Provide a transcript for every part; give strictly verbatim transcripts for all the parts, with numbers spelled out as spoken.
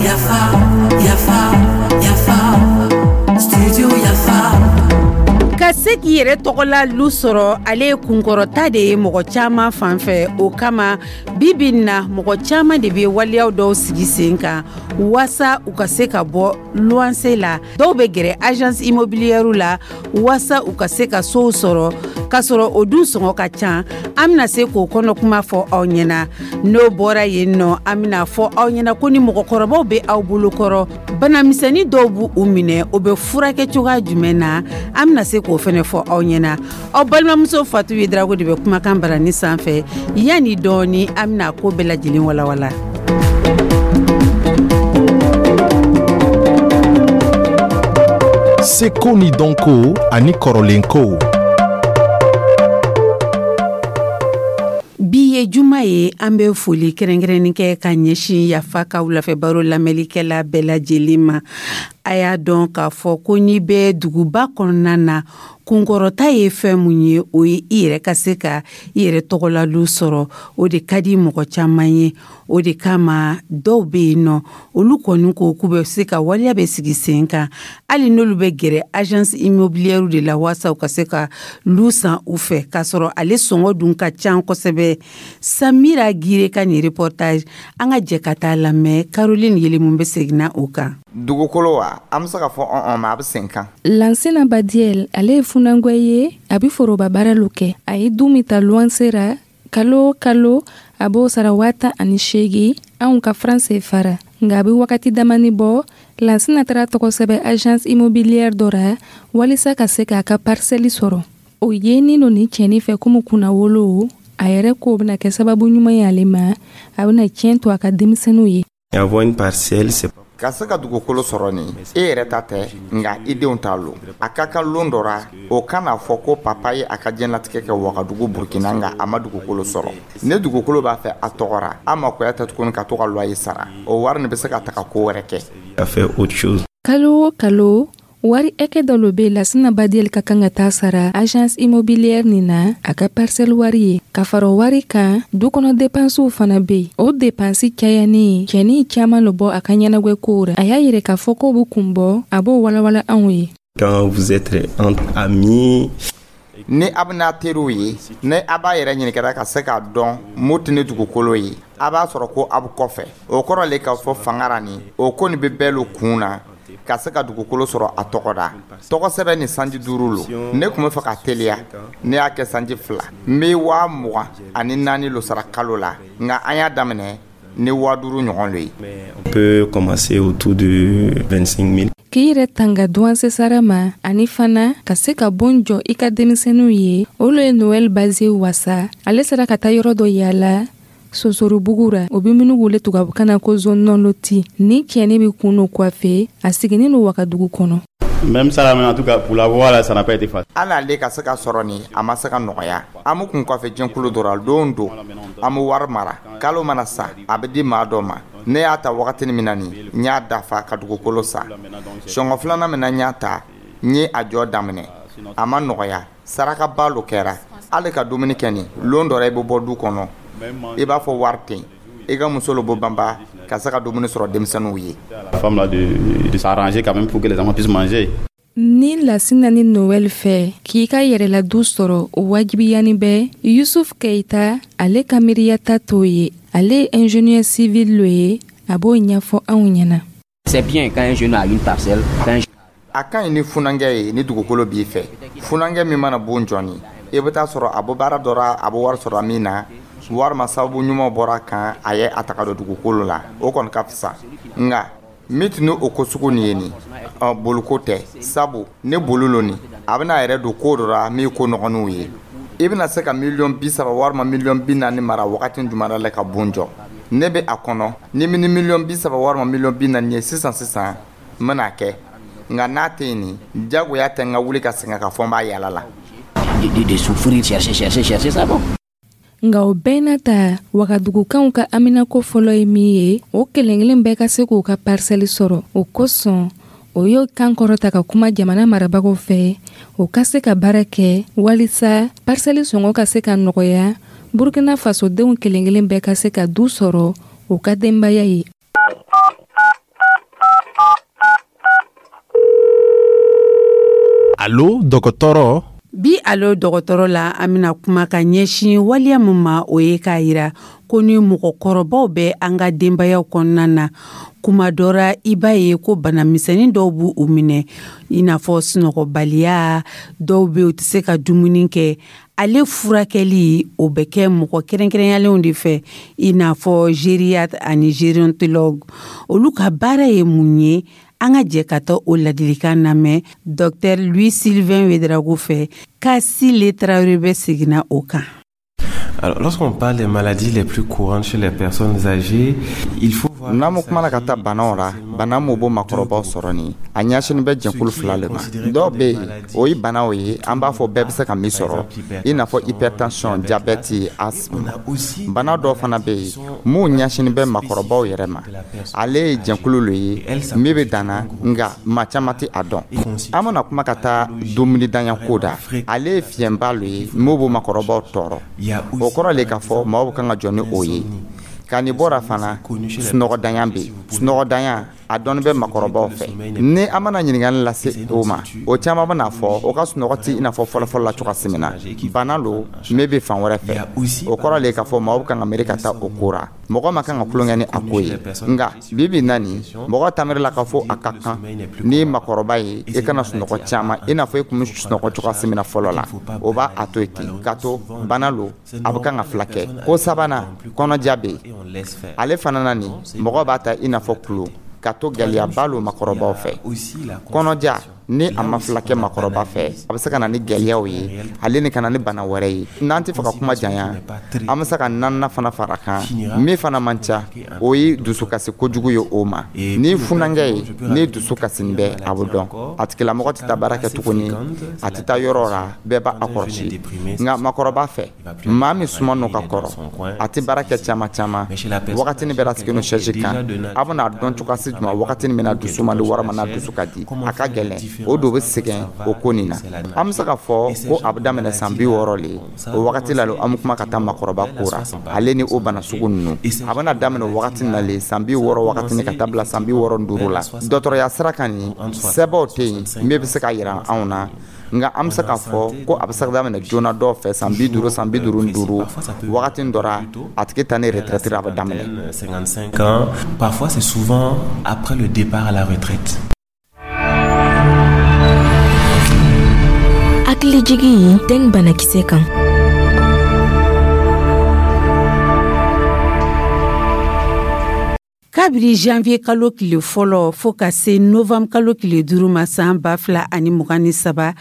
Yafa, yafa, yafa, studio Yafa. Ka se k'i yɛrɛ tɔgɔla lu sɔrɔ, ale ye kunkɔrɔta de ye mɔgɔ caman fan fɛ. O kama, bi bi in na, mɔgɔ caman de bɛ waleyaw dɔw sigi sen kan waasa u ka se ka bɔ luwanse la. Dɔw bɛ gɛrɛ agence immobilière la waasa u ka se ka sow sɔrɔ, k'a sɔrɔ o dun sɔngɔ ka ca. An bɛna se k'o kɔnɔ kuma fɔ aw ɲɛna. N'o bɔra yen nɔ, an bɛna fɔ aw ɲɛna ko ni mɔgɔkɔrɔbaw bɛ aw bolokɔrɔ, banamisɛnnin dɔw b'u u minɛ, o bɛ furakɛ cogoya jumɛn na? An bɛna se k'o fɛnɛ fɔ aw ɲɛna. Aw balimamuso Fatu Yedrago de bɛ kumakan barani sanfɛ. Yanni dɔɔni, an bɛna ko bɛɛ lajɛlen walawala. Seko ni dɔnko ani kɔrɔlenkow. Bi ye juma ye. An bɛ foli kɛrɛnkɛrɛnnin kɛ ka ɲɛsin Yafa ka wulafɛ baro lamɛnlikɛla bɛɛ lajɛlen ma. A y'a dɔn k'a fɔ ko n'i bɛ duguba kɔnɔna na, kunkɔrɔta ye fɛn mun ye, o ye i yɛrɛ ka se ka i yɛrɛ tɔgɔlalu sɔrɔ. O de ka di mɔgɔ caman ye. O de kama, dɔw bɛ yen nɔ, olu kɔni ko k'u bɛ se ka waleya bɛ sigi sen kan, hali n'olu bɛ gɛrɛ agence immobilière de la waasa u ka se ka lu san u fɛ, k'a sɔrɔ ale sɔngɔ dun ka ca kosɛbɛ. Samira Gire ka nin reportage, an ka jɛ ka taa lamɛn. Caroline Yelimun bɛ seginna o kan. Dugukolo wa, an bɛ se ka fɔ ɔn ma, a bɛ sen kan. Lansina Badiel, ale ye funangɛ ye, a bɛ foroba baara lo kɛ. A ye du min ta luwanse ra, kalo o kalo a b'o sara waa tan ani seegin anw ka franc C F A ra. Nka a bɛ wagati damani bɔ, Lansina taara tɔgɔ sɛbɛn agence immobilière dɔ ra walisa ka se k'a ka parcelle sɔrɔ. O yenin lo nin cɛnin fɛ komi kunnawolo. A yɛrɛ k'o bɛna kɛ sababu ɲuman ye ale ma, a bɛna tiɲɛ to a ka denmisɛnninw ye. Avoir une parcelle, c'est Ka se ka dugukolo sɔrɔ nin, e yɛrɛ ta tɛ, nka i denw t'a lo. A ka kan lon dɔ ra, o kana fɔ ko papa ye a ka diɲɛlatigɛ kɛ Wagadugu, Burkina, nka a ma dugukolo sɔrɔ. Ne dugukolo b'a fɛ a tɔgɔ ra, a makoya tɛ tuguni ka to ka loyer sara. O wari nin bɛ se ka taga ko wɛrɛ kɛ. À faire autre chose. Kalo o kalo, wari ɛkɛ dɔ lo be Lasina Badiel ka kan ka taa sara agence immobilière nin na, a ka parcelle wari ye. Ka fara o wari kan, du kɔnɔ depansiw fana be yen. O depansi cayani, cɛnin caaman lo bɔ a ka ɲɛnagwɛ kow ra. A y'a yɛrɛ k'a fɔ k'o be kun bɔ, a b'o walawala anw ye. Quand vous êtes entre amis, Ni a bɛna teriw ye, ni a b'a yɛrɛ ɲininkara ka se k'a dɔn mun tɛ ni dugukolo ye, a b'a sɔrɔ ko a bɛ kɔfɛ. O kɔrɔ le k'a fɔ fanga ra nin, o ko nin bɛ bɛɛ lo kun na ka se ka dugukolo sɔrɔ a tɔgɔ da. Tɔgɔ sɛbɛn ni sanji duuru lo. Ne tun bɛ fɛ ka teliya, ne y'a kɛ sanji fila. N bɛ waa mugan ani naani lo sara kalo la, nka an y'a daminɛ ni waa duuru ɲɔgɔn lo ye. On peut commencer autour de vingt-cinq mille. K'i yɛrɛ tanga duwanse sara ma, ani fana ka se ka bon jɔ i ka denmisɛnninw ye, o lo ye Noɛl Baze wasa. Ale sera ka taa yɔrɔ dɔ yaala Sosorobugu ra, o be minnu wele tubabukan na ko zone non lotie. Ni cɛni be kun no coiffe, a siginin no Wagadugu kɔnɔ. Même ça, en tout cas, pour l'avoir, là, ça n'a pas été facile. Hali ale ka se ka sɔrɔ nin, a ma se ka nɔgɔya. An bɛ kun kɔfɛ jɛnkulu dɔ la. Don don, an bɛ wari mara. Kalo mana sa, a bɛ di maa dɔ ma. Ne y'a ta wagatini min na nin, n y'a dafa ka dugukolo san. Sɔngɔ filanan min na n y'a ta, n ye a jɔ daminɛ. A ma nɔgɔya, sarakaba lo kɛra. Hali ka dumuni kɛ nin, lon dɔ la, i bɛ bɔ du kɔnɔ, i b'a fɔ wari tɛ yen, i ka muso lo bɔ banba ka se ka dumuni sɔrɔ denmisɛnninw ye. La femme là de, de s'arranger quand même pour que les enfants puissent manger. Ni Lasina ni Noɛl fɛ k'i ka yɛrɛla du sɔrɔ, o wajibiyani bɛ. Yusuf Keita, ale ka miiriyata t'o ye. Ale ye ingénieur civil lo ye, a b'o ɲɛfɔ anw ɲɛna. C'est bien quand un jeune a une parcelle, quand un A ka ɲi ni funankɛ ye ni dugukolo b'i fɛ. Funankɛ min mana bon jɔni, i bɛ taa sɔrɔ a bɔ baara dɔ ra, a bɛ wari sɔrɔ min na, walima sababu ɲuman bɔra kan, a ye a taga don dugukolo la, o kɔni ka fisa. Nka min tun ni o ko sugu nin ye nin, ɔ boliko tɛ, sabu ne bolo lo nin, a bɛna a yɛrɛ don ko dɔ la min ko nɔgɔninw ye. I bɛna se ka miliyɔn bi saba walima miliyɔn bi naani mara wagati jumɛn la ka bon jɔ? Ne bɛ a kɔnɔ ni ni miliyɔn bi saba walima miliyɔn bi naani ye sisan sisan, n bɛna kɛ. Nka n'a tɛ yen nin, jagoya tɛ n ka wuli ka sɛgɛn ka fɔ n b'a yala la. de, de, de souffrir, chercher, chercher, chercher ça bon. Nka o bɛɛ n'a ta, Wagadugukanw ka haminako fɔlɔ ye min ye, o kelen kelen bɛɛ ka se k'u ka parcelle sɔrɔ. O kosɔn, o y'o kan kɔrɔta ka kuma jamana marabagaw fɛ, o ka se ka baara kɛ walisa parcelle sɔngɔ ka se ka nɔgɔya. Burkina fasodenw kelen-kelen bɛɛ ka se ka du sɔrɔ u ka denbaya ye. Allo dɔgɔtɔrɔ. Bi Allo dɔgɔtɔrɔ la, an bɛna kuma ka ɲɛsin waleya min ma, o ye k'a yira ko ni mɔgɔkɔrɔbaw bɛ an ka denbayaw kɔnɔna na, kuma dɔ ra i b'a ye ko bana misɛnnin dɔw b'u u minɛ, i n'a fɔ sunɔgɔbaliya, dɔw bɛ yen u tɛ se ka dumuni kɛ. Ale furakɛli o bɛ kɛ mɔgɔ kɛrɛnkɛrɛnyalenw de fɛ, i n'a fɔ gériatre ani gérontologue. Olu ka baara ye mun ye? An ka jɛ ka taa o ladilikan lamɛn docteur Louis Sylvain Ouédraogo fɛ. Kasile Traoré bɛ seginna o kan. Alors, lorsqu'on parle des maladies les plus courantes chez les personnes âgées, il faut voir. N'an ma kumana ka taa banaw ra, bana mun b'o makɔrɔbaw sɔrɔ nin, a ɲɛsinin bɛ jɛkulu fila le ma. Dɔw bɛ yen, o ye banaw ye an b'a fɔ bɛɛ bɛ se ka min sɔrɔ, i n'a fɔ hypertension, diabète, asthme. Bana dɔw fana bɛ yen mun ɲɛsinin bɛ makɔrɔbaw yɛrɛ ma. Ale ye jɛkulu le ye min bɛ danna, nka maa caman tɛ a dɔn. An bɛna kuma ka taa dumunidanya ko da, ale ye fiɲɛba le ye min b'o makɔrɔbaw tɔɔrɔ. O kɔrɔ le k'a fɔ maaw kan ka jɔ ni o ye. Ka nin bɔra fana, sunɔgɔdanya bɛ yen. Sunɔgɔdanya a dɔnni bɛ makɔrɔbaw fɛ. Ni an mana ɲininkali lase o ma, o caman bɛna fɔ o ka sunɔgɔ tɛ i n'a fɔ fɔlɔfɔlɔ la cogoya min na. Bana lo min bɛ fan wɛrɛ fɛ. O kɔrɔ le k'a fɔ maaw kan ka miiri ka taa o ko ra. Mɔgɔ ma kan ka tulonkɛ ni a ko ye. Nka bi bi na nin, mɔgɔ taamiri la k'a fɔ a ka kan ni makɔrɔba ye i kana sunɔgɔ caman i n'a fɔ i kun bɛ sunɔgɔ cogoya min na fɔlɔ la. O b'a a to yen ten, k'a to bana lo a bɛ kan ka fila kɛ. Ko sabanan, kɔnɔja bɛ yen. Ale fana na nin, mɔgɔ b'a ta i n'a fɔ kulo, ka to gɛlɛyaba lo makɔrɔbaw fɛ. Kɔnɔja ni a ma fila kɛ makɔrɔba fɛ, a bɛ se ka na ni gɛlɛyaw ye, ale ni ka na ni bana wɛrɛ ye. N'an tɛ fɛ ka kuma janya, an bɛ se ka naaninan fana fara kan min fana man ca, o ye dusukasi kojugu ye o ma. Ni funankɛ ye, ni dusu kasinin bɛ, a bɛ dɔn a tigilamɔgɔ tɛ taa baara kɛ tuguni, a tɛ taa yɔrɔ la, bɛɛ b'a kɔlɔsi. Nka makɔrɔba fɛ, maa min suma n'o ka kɔrɔ, a tɛ baara kɛ caman caman, wagati bɛɛ la sigin chaise kan, a bɛna dɔn cogoya jumɛn wagati min na dusu man di walima n'a dusu ka di, a ka gɛlɛn. O do bɛ sɛgɛn o ko nin na. An bɛ se k'a fɔ ko a bɛ daminɛ san bi wɔɔrɔ le. O wagati la an bɛ kuma ka taa makɔrɔba ko ra, ale ni o bana sugu ninnu. A bɛna daminɛ wagati na le san bi wɔɔrɔ wagati ka taa bila san bi wɔɔrɔ ni duuru la. Dɔgɔtɔrɔya sira kan nin, sɛbɛnw tɛ yen min bɛ se ka yira anw na. Nka an bɛ se k'a fɔ ko a bɛ se ka daminɛ joona dɔw fɛ san bi duuru, san bi duuru ni duuru wagati dɔ ra, a tigi ta ni retraite a bɛ daminɛ. cinquante-cinq ans, parfois c'est souvent après le départ à la retraite. Hakilijigi dengue banakisɛ kan. Kabiri janvier kalo tile fɔlɔ fo ka se novembre kalo tile duuru ma san ba fila ani mugan ni saba,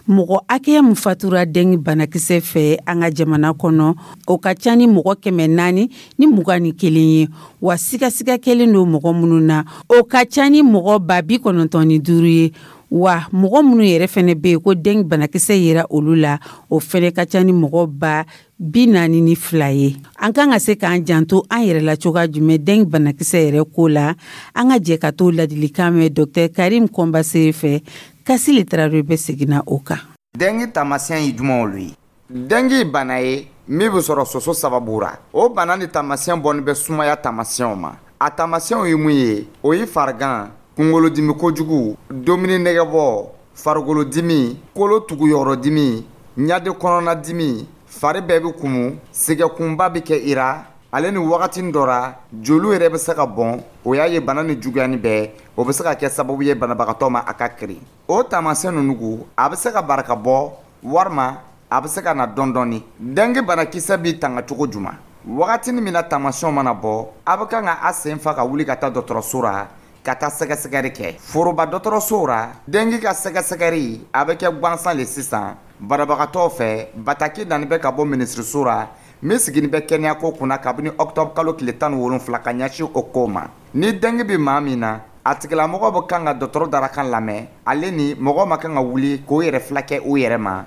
mɔgɔ hakɛya min fatura dengue banakisɛ fɛ an ka jamana kɔnɔ, o ka ca ni mɔgɔ kɛmɛ naani ni mugan ni kelen ye. Wa sigasiga kɛlen don mɔgɔ minnu na, o ka ca ni mɔgɔ ba bi kɔnɔntɔn ni duuru ye. Wa mɔgɔ minnu yɛrɛ fɛnɛ bɛ yen ko dengue banakisɛ yera olu la, o fɛnɛ ka ca ni mɔgɔ ba bi naani ni fila ye. An kan ka se k'an janto an yɛrɛ la cogoya jumɛn dengue banakisɛ yɛrɛ ko la? An ka jɛ ka t'o ladilikan mɛn docteur Karim Kɔnbase fɛ. Kasile Traoré bɛ seginna o kan. Dengue taamasiyɛn ye jumɛnw ye? Dengue ye bana ye min bɛ sɔrɔ soso sababu ra. O bana ni taamasiyɛn bɔnni bɛ sumaya taamasiyɛnw ma. A taamasiyɛnw ye mun ye? O ye farigan, kunkolodimi kojugu, dumuni nɛgɛbɔ, farikolodimi, kolo tuguyɔrɔdimi, ɲade kɔnɔnadimi, fari bɛɛ bɛ kumu, sɛgɛkunba bɛ kɛ i ra. Ale ni wagati dɔ ra, joliw yɛrɛ bɛ se ka bɔn. O y'a ye bana ni juguyani bɛɛ, o bɛ se ka kɛ sababu ye banabagatɔ ma a ka kirin. O taamasiyɛn ninnu, a bɛ se ka barika bɔ walima a bɛ se ka na dɔɔni dɔɔni. Dengue banakisɛ b'i tanga cogo jumɛn? Wagati min na taamasiyɛnw mana bɔ, a bɛ kan ka a sen fa ka wuli ka taa dɔgɔtɔrɔso ra, ka taa sɛgɛsɛgɛli kɛ. Foroba dɔgɔtɔrɔsow ra, dengue ka sɛgɛsɛgɛli a bɛ kɛ gansan le sisan banabagatɔw fɛ. Bataki nani bɛ ka bɔ minisiriso ra min sigini bɛ kɛnɛyako kunna kabini octobre kalo tile tan ni wolonfila ka ɲɛsin o ko ma. Ni dengue bɛ maa min na, a tigilamɔgɔ bɛ kan ka dɔgɔtɔrɔ darakan lamɛn. Ale ni mɔgɔ ma kan ka wuli k'o yɛrɛ fila kɛ o yɛrɛ ma,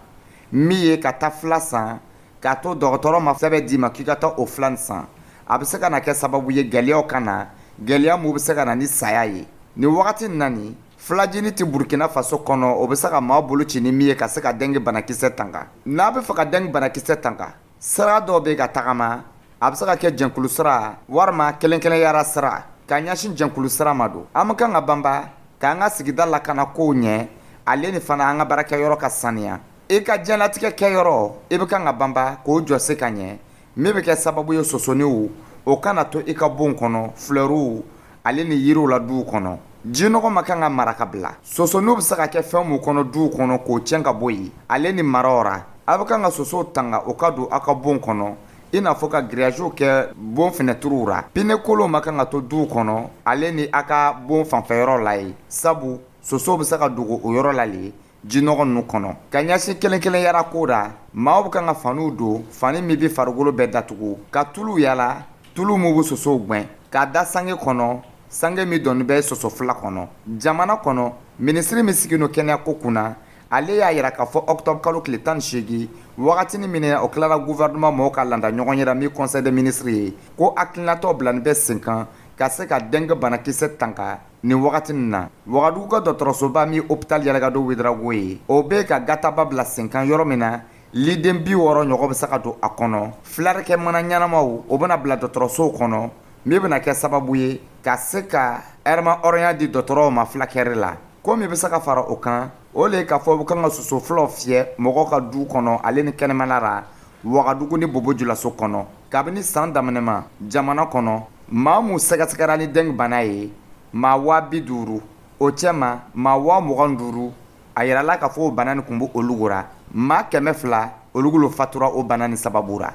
min ye ka taa fila san, k'a to dɔgɔtɔrɔ ma sɛbɛn d'i ma k'i ka taa o fila san. A bɛ se ka na kɛ sababu ye gɛlɛyaw ka na, gɛlɛya mun bɛ se ka na ni saya ye. Nin wagati na nin, filajini tɛ Burkina Faso kɔnɔ, o bɛ se ka maa bolo ci ni min ye ka se ka dengue banakisɛ tanga. N'a bɛ fɛ ka dengue banakisɛ tanga, Sira dɔw bɛ ka tagama, a bɛ se ka kɛ jɛnkulu sira walima kelen kelenyara sira. Ka ɲɛsin jɛnkulu sira ma don, an bɛ kan ka banba k'an ka sigida lakana kow ɲɛ, ale ni fana an ka baarakɛyɔrɔ ka saniya. I ka diɲɛlatigɛ kɛyɔrɔ, i bɛ kan ka banba k'o jɔse ka ɲɛ, min bɛ kɛ sababu ye sosoniw o kana to i ka bon kɔnɔ, flɛriw ale ni yiriw la duw kɔnɔ. Jinɔgɔ ma kan ka mara ka bila. Sosoniw bɛ se ka kɛ fɛn mun kɔnɔ duw kɔnɔ, k'o tiɲɛ ka bɔ yen, ale ni maraw ra. A bɛ kan ka sosow tanga o ka don aw ka bon kɔnɔ, i n'a fɔ ka grillage kɛ bon fenɛtiriw ra. Pneu kolonw ma kan ka to duw kɔnɔ, ale ni a ka bon fanfɛyɔrɔ la ye, sabu sosow bɛ se ka dogo o yɔrɔ la le jinɔgɔ ninnu kɔnɔ. Ka ɲɛsin kelen kelenyara ko ra, maaw bɛ kan ka faniw don, fani min bɛ farikolo bɛɛ datugu, ka tulu yala, tulu min bɛ sosow gɛn, k'a da sange kɔnɔ, sange min dɔnni bɛ soso fila kɔnɔ. Jamana kɔnɔ, minisiri min sigilen don kɛnɛyako kunna, ale y'a yira k'a fɔ octobre kalo tile tan ni seegin, wagatinin min o tilara gouvernement mɔgɔw ka landa ɲɔgɔn yɛrɛ min conseil des ministres ye, ko hakilinatɔ bilani bɛ sen kan ka se ka dengue banakisɛ tanga nin wagati nin na. Wagadugu ka dɔgɔtɔrɔsoba min hôpital Yalɛgado Ouédraogo ye, o bɛ ka gataba bila sen kan, yɔrɔ min na liden bi wɔɔrɔ ɲɔgɔn bɛ se ka don a kɔnɔ. Filarikɛ mana ɲɛnamaw, o bɛna bila dɔgɔtɔrɔsow kɔnɔ, min bɛna kɛ sababu ye ka se ka ɛrɛma hɔrɔnya di dɔgɔtɔrɔw ma fulakɛri la. Ko min bɛ se ka fara o kan, o le k'a fɔ u kan ka soso filaw fiyɛ mɔgɔw ka du kɔnɔ, ale ni kɛnɛmana la, Wagadugu ni Bobo Julaso kɔnɔ. Kabini san daminɛ ma, jamana kɔnɔ, maa mun sɛgɛsɛgɛra ni dengue bana ye, maa waa bi duuru, o cɛ ma maa waa mugan duuru, a yirala k'a fɔ o bana nin kun bɛ olu ra. Maa kɛmɛ fila, olu lo fatura o bana nin sababu ra.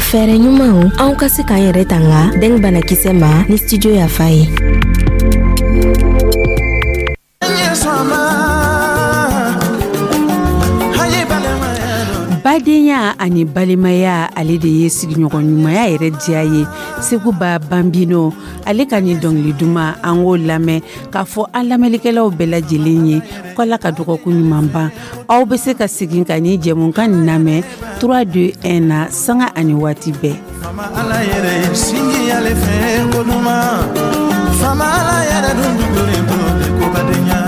Fɛɛrɛ ɲumanw anw ka se k'an yɛrɛ tanga dengue banakisɛ ma ni Studio Yafa ye. Badenya ani balimaya, ale de ye sigiɲɔgɔn ɲumanya yɛrɛ diya ye. Seguba Banbino, ale ka nin dɔngili duman, an k'o lamɛn k'a fɔ an lamɛnlikɛlaw bɛɛ lajɛlen ye ko Ala ka dɔgɔkun ɲuman ban. Aw bɛ se ka segin ka nin jɛmukan nin lamɛn trois deux un na, sanga ani waati bɛɛ. Fama Ala yɛrɛ sinji ale fɛ ko duman, fama Ala yɛrɛ dun dugulen to ko badenya.